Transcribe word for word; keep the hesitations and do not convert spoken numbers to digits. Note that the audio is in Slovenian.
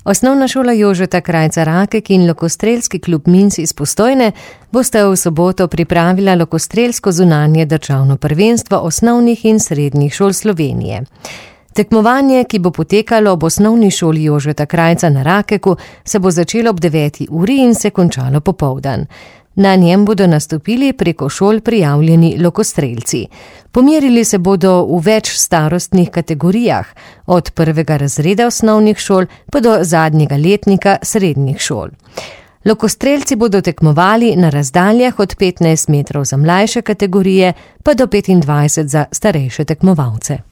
Osnovna šola Jožeta Krajca Rakek in Lokostrelski klub Minc iz Postojne bosta v soboto pripravila lokostrelsko zunanje državno prvenstvo osnovnih in srednjih šol Slovenije. Tekmovanje, ki bo potekalo ob osnovni šoli Jožeta Krajca na Rakeku, se bo začelo ob deveti uri in se končalo popoldan. Na njem bodo nastopili preko šol prijavljeni lokostrelci. Pomerili se bodo v več starostnih kategorijah, od prvega razreda osnovnih šol pa do zadnjega letnika srednjih šol. Lokostrelci bodo tekmovali na razdaljah od petnajst metrov za mlajše kategorije pa do petindvajset za starejše tekmovalce.